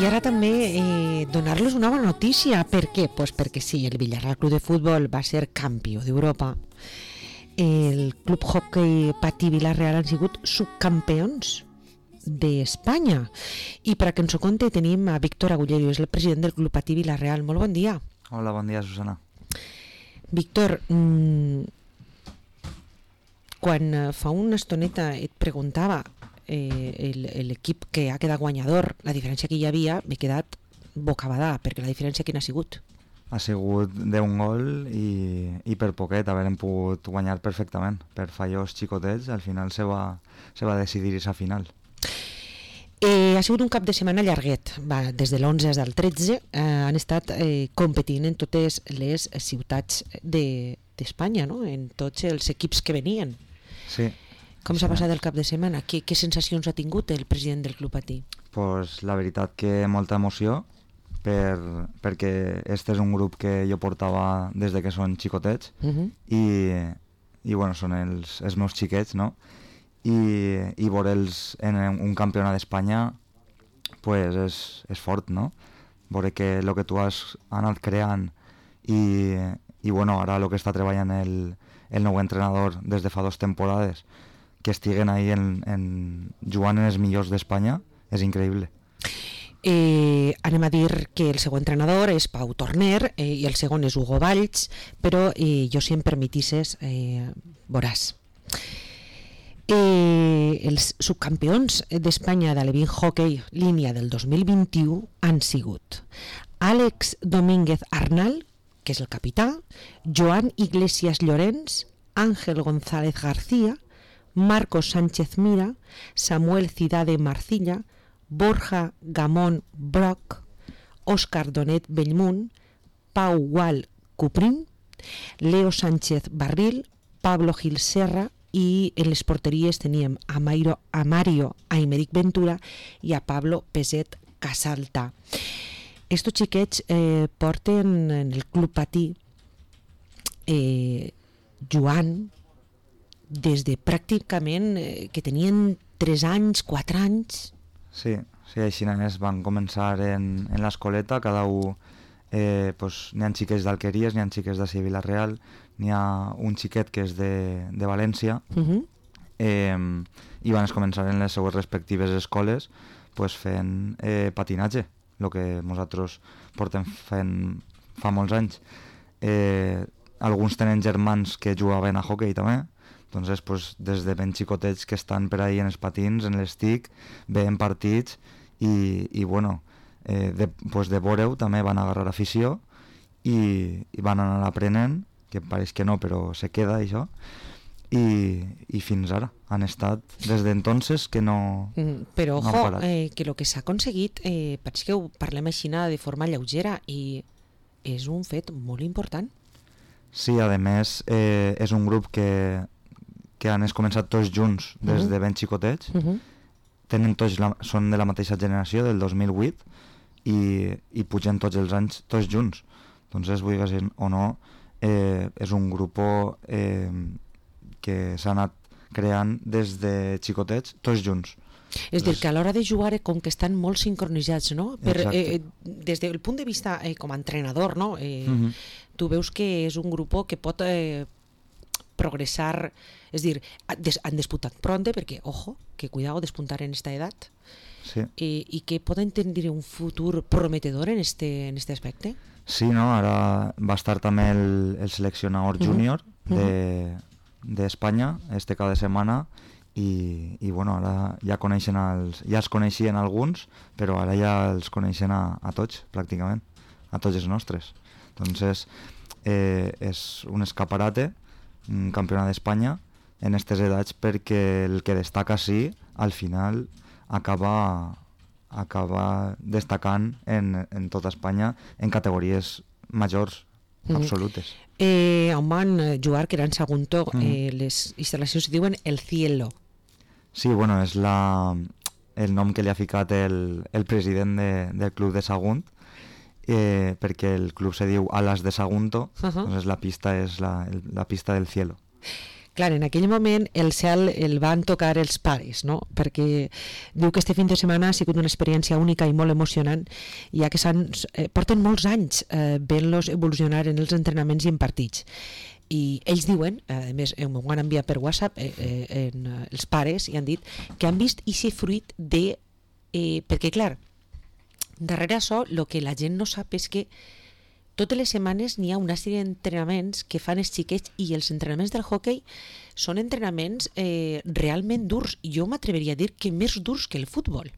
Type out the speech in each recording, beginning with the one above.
ara també donar-los una bona notícia. Per què? Pues perquè sí, el Villarreal Club de Futbol va ser campió d'Europa. El Club Hockey Patí Vila-real han sigut subcampeons d'Espanya. I per a que ens ho conti tenim a Víctor Agullerio, és el president del Club Patí Vila-real. Molt bon dia. Hola, bon dia, Susana. Víctor, quan fa una estoneta et preguntava l'equip que ha quedat guanyador, la diferència que hi havia, m'he quedat bocabadà, perquè la diferència quina ha sigut? Ha sigut d'un gol i per poquet haurem pogut guanyar perfectament. Per fallos xicotets, al final se va decidir aquesta final. Ha sigut un cap de setmana llarguet. Des de l'11 al 13 han estat competint en totes les ciutats d'Espanya, no? En tots els equips que venien. Sí. Com s'ha passat el cap de setmana? Què sensacions ha tingut el president del Club Patí? Pues la veritat que molta emoció, perquè este és un grup que jo portava des de que són xicotets i bueno, són els meus xiquets, no? I veure'ls en un campionat d'Espanya pues és fort, no? Veure que el que tu has anat creant i bueno, ara el que està treballant el nou entrenador des de fa 2 temporades, que estiguen ahí jugant en els millors d'Espanya, és increïble. Anem a dir que el segon entrenador és Pau Torner i el segon és Hugo Valls, però jo, si em permetisses, veuràs. Els subcampions d'Espanya de l'Evin Hockey línia del 2021 han sigut Àlex Domínguez Arnal, que és el capità, Joan Iglesias Llorens, Ángel González García, Marcos Sánchez Mira, Samuel Cidade Marcilla, Borja Gamón Broc, Òscar Donet Bellmunt, Pau Gual Cuprín, Leo Sánchez Barril, Pablo Gil Serra, i en les porteries teníem a Mario Aymeric Ventura i a Pablo Peset Casalta. Estos xiquets porten en el Club Patí jugant des de pràcticament que tenien 3 anys, 4 anys. Sí, així només van començar en l'escoleta, cada un, pues, n'hi ha xiquets d'Alqueries, n'hi ha xiquets de Vila-real, n'hi ha un xiquet que és de València, i van començar en les seues respectives escoles pues, fent patinatge, el que nosaltres portem fent fa molts anys. Alguns tenen germans que jugaven a hoquei també, doncs pues, des de ben xicotets que estan per ahí en els patins, en l'estic, veien partits i bueno, pues de veure-ho també van agarrar afició i van anar aprenent, que pareix que no, però se queda això, i fins ara han estat des d'entonces que no però no ojo, han parat. Que el que s'ha aconseguit pareix que ho parlem així de forma lleugera i és un fet molt important. Sí, a més és un grup que han començat tots junts des de ben xicotets, tenen són de la mateixa generació, del 2008, i pugen tots els anys tots junts. Entonces, vull dir o no, és un grup que s'ha anat creant des de xicotets tots junts. És dir, que a l'hora de jugar com que estan molt sincronitzats, no? Des del punt de vista com a entrenador, no? Tu veus que és un grup que pot progressar, és dir, han disputat pronto, perquè, ojo, que cuidado despuntar en esta edat, sí. I que poden tenir un futur prometedor en este aspecte. Sí, no? Ara va estar també el seleccionador júnior d'Espanya este cada setmana i bueno, ara ja els coneixien alguns, però ara ja els coneixen a tots, pràcticament, a tots els nostres. Entonces, és un escaparate, un campionat d'Espanya en aquestes edats, perquè el que destaca sí, al final acaba destacant en tota Espanya en categories majors, absolutes. On van jugar, que era en Sagunto, les instal·lacions diuen El Cielo. Sí, bueno, és el nom que li ha ficat el president del club de Sagunt, perquè el club se diu Alas de Sagunto, doncs la pista és la pista del Cielo. Clar, en aquell moment el cel el van tocar els pares, no? Perquè diu que este fin de setmana ha sigut una experiència única i molt emocionant, ja que porten molts anys veient-los evolucionar en els entrenaments i en partits. I ells diuen, a més m'ho han enviat per WhatsApp els pares, i han dit que han vist aquest fruit de... perquè clar, darrere això el que la gent no sap és que totes les setmanes n'hi ha una sèrie d'entrenaments que fan els xiquets, i els entrenaments del hoquei són entrenaments realment durs. Jo m'atreveria a dir que més durs que el futbol.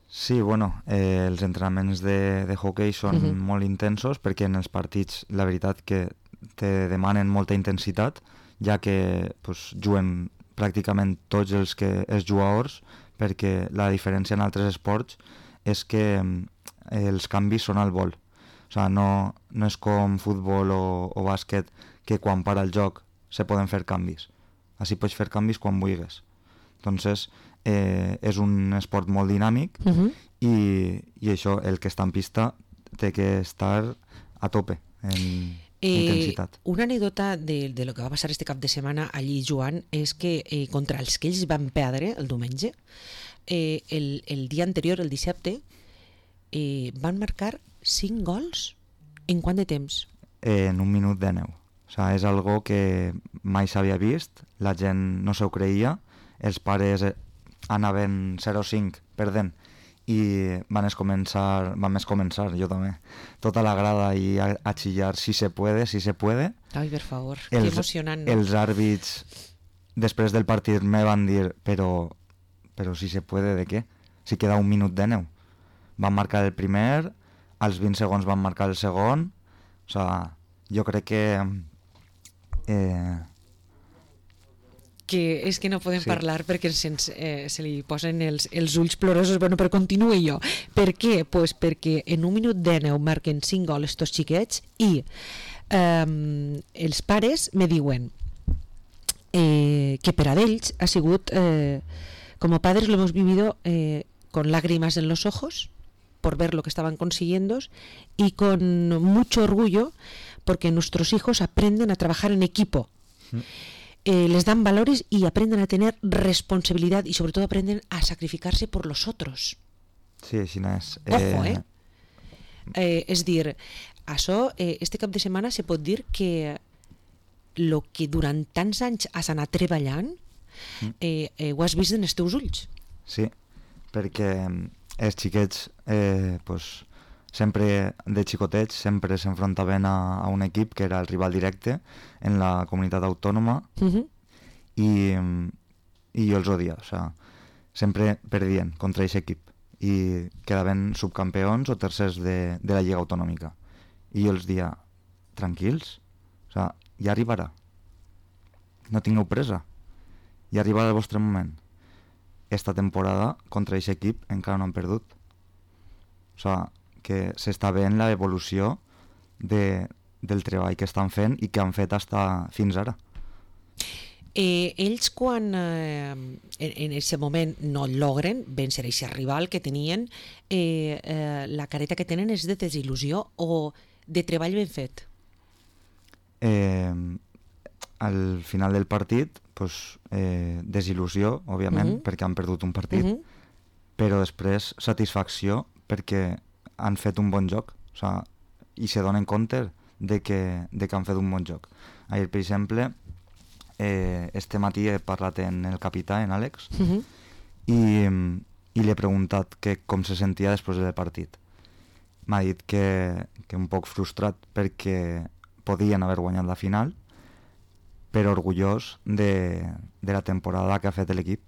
Sí, bueno, els entrenaments de hoquei són molt intensos, perquè en els partits la veritat que te demanen molta intensitat, ja que pues, juguen pràcticament tots els jugadors, perquè la diferència en altres esports és que els canvis són al vol. O sigui, no és com futbol o bàsquet, que quan para el joc se poden fer canvis. Així pots fer canvis quan vulguis. Entonces, és un esport molt dinàmic i això, el que està en pista té que estar a tope en intensitat. Una anècdota de lo que va passar este cap de setmana allí, Joan, és que contra els que ells van perdre el diumenge, el dia anterior, el dissabte, van marcar 5 gols en quant de temps? En 1 minut de 9. O sigui, és algo que mai s'havia vist, la gent no s'ho creia, els pares anaven 0-5 perdent i vam començar, jo també, tota la grada i a xillar si se puede. Ai, per favor, que emocionant, no? Els àrbits després del partit me van dir però si se puede de què? Si queda 1 minut de 9. Van marcar el primer, als 20 segons van marcar el segon, o sigui, jo crec que és que no podem parlar perquè se li posen els ulls plorosos. Bueno, però continuï jo. Per què? Pues perquè en 1 minut de 9 marquen 5 gols estos xiquets i els pares me diuen que per a ells ha sigut como padres lo hemos vivido con lágrimas en los ojos por ver lo que estaban consiguiendo y con mucho orgullo porque nuestros hijos aprenden a trabajar en equipo. Les dan valores y aprenden a tener responsabilidad y sobre todo aprenden a sacrificarse por los otros. Sí, així és. Ojo, és dir, això, este cap de setmana se pot dir que lo que durant tants anys has anat treballant ho has vist en els teus ulls. Sí, perquè els xiquets sempre de xicotets sempre s'enfrontaven a un equip que era el rival directe en la comunitat autònoma i jo els odia, o sigui, sempre perdien contra aquest equip i quedaven subcampeons o tercers de la Lliga Autonòmica i jo els dia, tranquils, o sigui, ja arribarà, no tingueu pressa, ja arribarà el vostre moment. Esta temporada contra aquest equip encara no han perdut, o sigui, que s'està veient l'evolució del treball que estan fent i que han fet fins ara. Ells quan en aquest moment no logren vèncer aquest rival que tenien, la careta que tenen és de desil·lusió o de treball ben fet? Al final del partit, desil·lusió, òbviament, perquè han perdut un partit, però després satisfacció perquè han fet un bon joc, o sigui, i se donen compte de que han fet un bon joc. Ahir, per exemple, este matí he parlat en el capità, en Àlex, i li he preguntat com se sentia després del partit. M'ha dit que un poc frustrat perquè podien haver guanyat la final, però orgullós de la temporada que ha fet l'equip,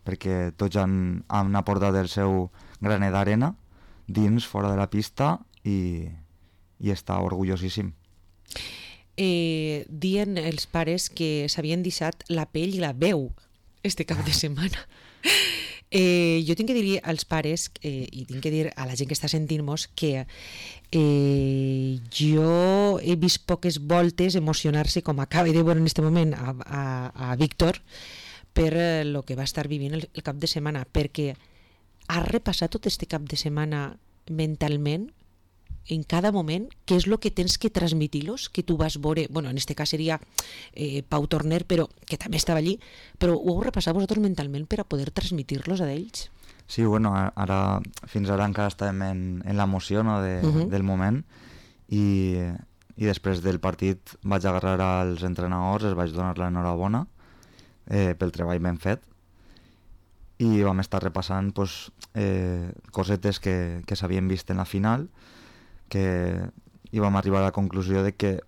perquè tots han aportat el seu granet d'arena dins, fora de la pista i està orgullosíssim. Dien els pares que s'havien deixat la pell i la veu este cap de setmana. Jo tinc que dir als pares i tinc que dir a la gent que està sentint-nos que jo he vist poques voltes emocionar-se com acaba de veure en aquest moment a Víctor per lo que va estar vivint el cap de setmana, perquè has repassat tot este cap de setmana mentalment en cada moment què és el que tens que transmitir-los, que tu vas veure, bueno, en este cas seria Pau Torner, però que també estava allí, però ho heu repassat vosaltres mentalment per a poder transmitir-los a ells? Sí, bueno, fins ara encara estàvem en l'emoció, no, del moment, i després del partit vaig agarrar als entrenadors, els vaig donar l'enhorabona pel treball ben fet, i vam estar repassant pues, cosetes que s'havien vist en la final, i vam arribar a la conclusió de que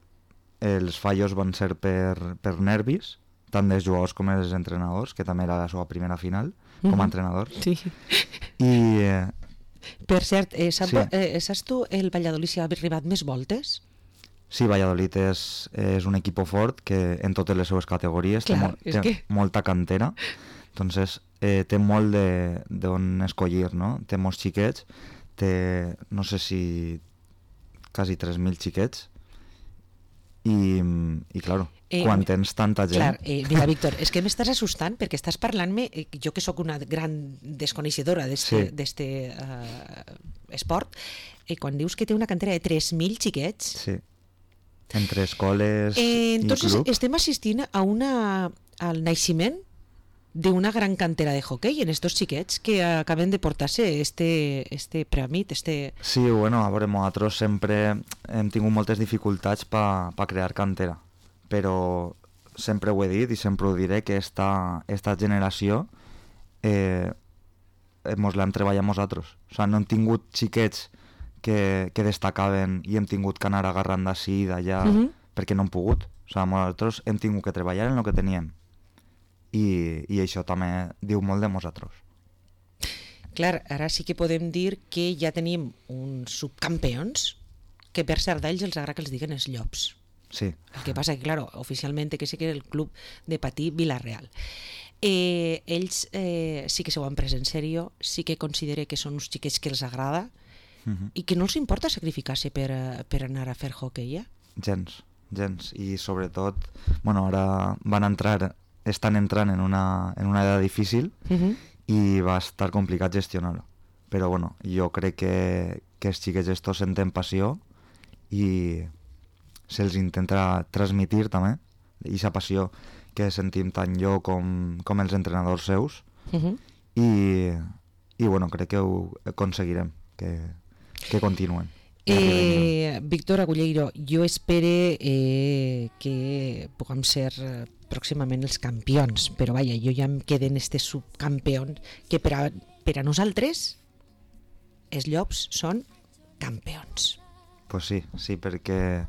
els fallos van ser per nervis, tant dels jugadors com dels entrenadors, que també era la seva primera final com a entrenador. Sí. Per cert, saps tu el Valladolid si ha arribat més voltes? Sí, Valladolid és un equip fort que en totes les seues categories Clar, té molta cantera, entonces té molt d'on escollir, no? Té molts xiquets, té no sé si quasi 3.000 xiquets i claro, quan tens tanta gent... Clar, mira, Víctor, és que m'estàs assustant perquè estàs parlant-me, jo que sóc una gran desconeixedora d'este esport, quan dius que té una cantera de 3.000 xiquets... Sí, entre escoles i entonces clubs. estem assistint al naixement d'una gran cantera de hoquei en estos xiquets que acaben de portar-se este premi. Sí, bueno, a veure, nosaltres sempre hem tingut moltes dificultats per crear cantera, però sempre ho he dit i sempre ho diré que esta generació mos l'hem treballat nosaltres. O sigui, no hem tingut xiquets que destacaven i hem tingut que anar agarrant d'ací i d'allà perquè no hem pogut. O sigui, nosaltres hem tingut que treballar en el que teníem. I això també diu molt de nosaltres. Clar, ara sí que podem dir que ja tenim uns subcampions que per cert d'ells els agrada que els diguen els Llops. Sí. El que passa que, claro, oficialment que sí que és el club de Patí Vila-real. Ells sí que s'ho han pres en sèrio, sí que considere que són uns xiquets que els agrada i que no els importa sacrificar-se per anar a fer hoquei, Gens. I sobretot, bueno, ara estan entrant en una edat difícil i va estar complicat gestionar-ho. Però bueno, jo crec que els xiquets estos senten passió i se'ls intenta transmitir també, aquesta passió que sentim tant jo com els entrenadors seus i bueno, crec que ho aconseguirem, que continuen. Víctor Agulleiro, jo espere que puguem ser pròximament els campions, però vaja, jo ja em queden estes subcampions que per a nosaltres els Llops són campions. Pues sí, perquè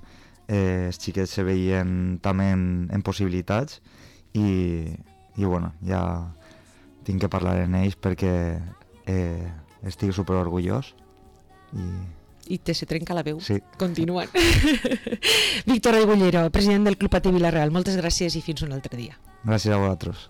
els xiquets se veien també en possibilitats i bueno, ja tinc que parlar amb ells perquè estic superorgullós i se trenca la veu. Sí. Continuant. Víctor Agulleiro, president del Club Patí Vila-real, moltes gràcies i fins un altre dia. Gràcies a vosaltres.